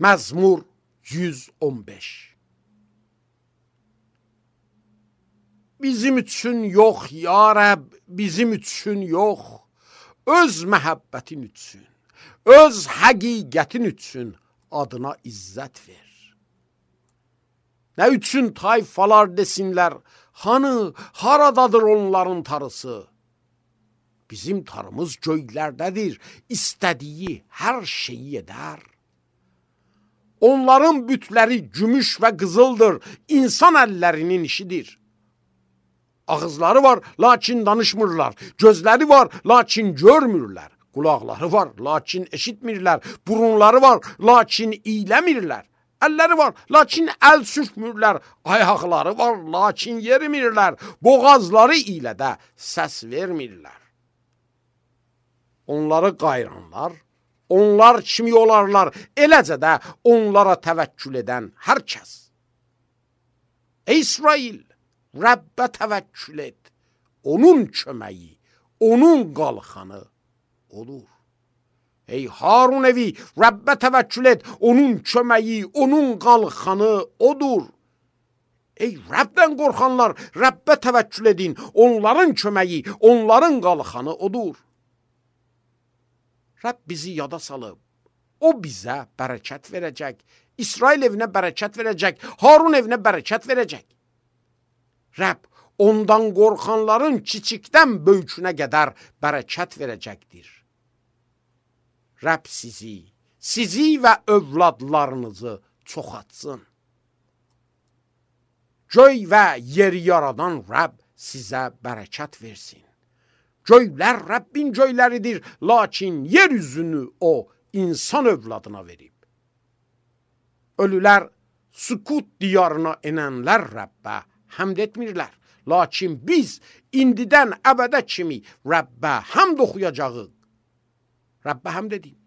Məzmur 115. Bizim üçün yox ya Rəbb, bizim üçün yox, öz məhəbbətin üçün, öz həqiqətin üçün adına izzət ver. Nə üçün tayfalar desinlər, hanı, haradadır onların tarısı? Bizim tarımız göylərdədir, istədiyi hər şeyi edər. Onların bütləri gümüş və qızıldır, insan əllərinin işidir. Ağızları var, lakin danışmırlar. Gözləri var, lakin görmürlər. Qulaqları var, lakin eşitmirlər. Burunları var, lakin iyləmirlər. Əlləri var, lakin əl sürtmürlər. Ayaqları var, lakin yerimirlər. Boğazları ilə də səs vermirlər. Onları qayranlar, onlar kimi olarlar. Eləcə də onlara təvəkkül edən hər kəs. Ey İsrail, Rəbbə təvəkkül et. Onun köməyi, onun qalxanı olur. Ey Harun evi, Rəbbə təvəkkül et. Onun köməyi, onun qalxanı odur. Ey Rəbdən qorxanlar, Rəbbə təvəkkül edin. Onların köməyi, onların qalxanı odur. Rəbb bizi yada salıb. O bizə bərəkət verəcək. İsrail evinə bərəkət verəcək. Harun evinə bərəkət verəcək. Rəbb ondan qorxanların kiçikdən böyükünə qədər bərəkət verəcəkdir. Rəbb sizi və övladlarınızı çoxaltsın. Göy və yeri yaradan Rəbb sizə bərəkət versin. Göylər Rəbbin göyləridir, lakin yer üzünü o insan övladına verib. Ölülər sükut diyarına enənlər Rəbbə həmd etmirlər. Lakin biz indidən əbədə kimi Rəbbə həmd oxuyacağıq. Rəbbə həmd edin.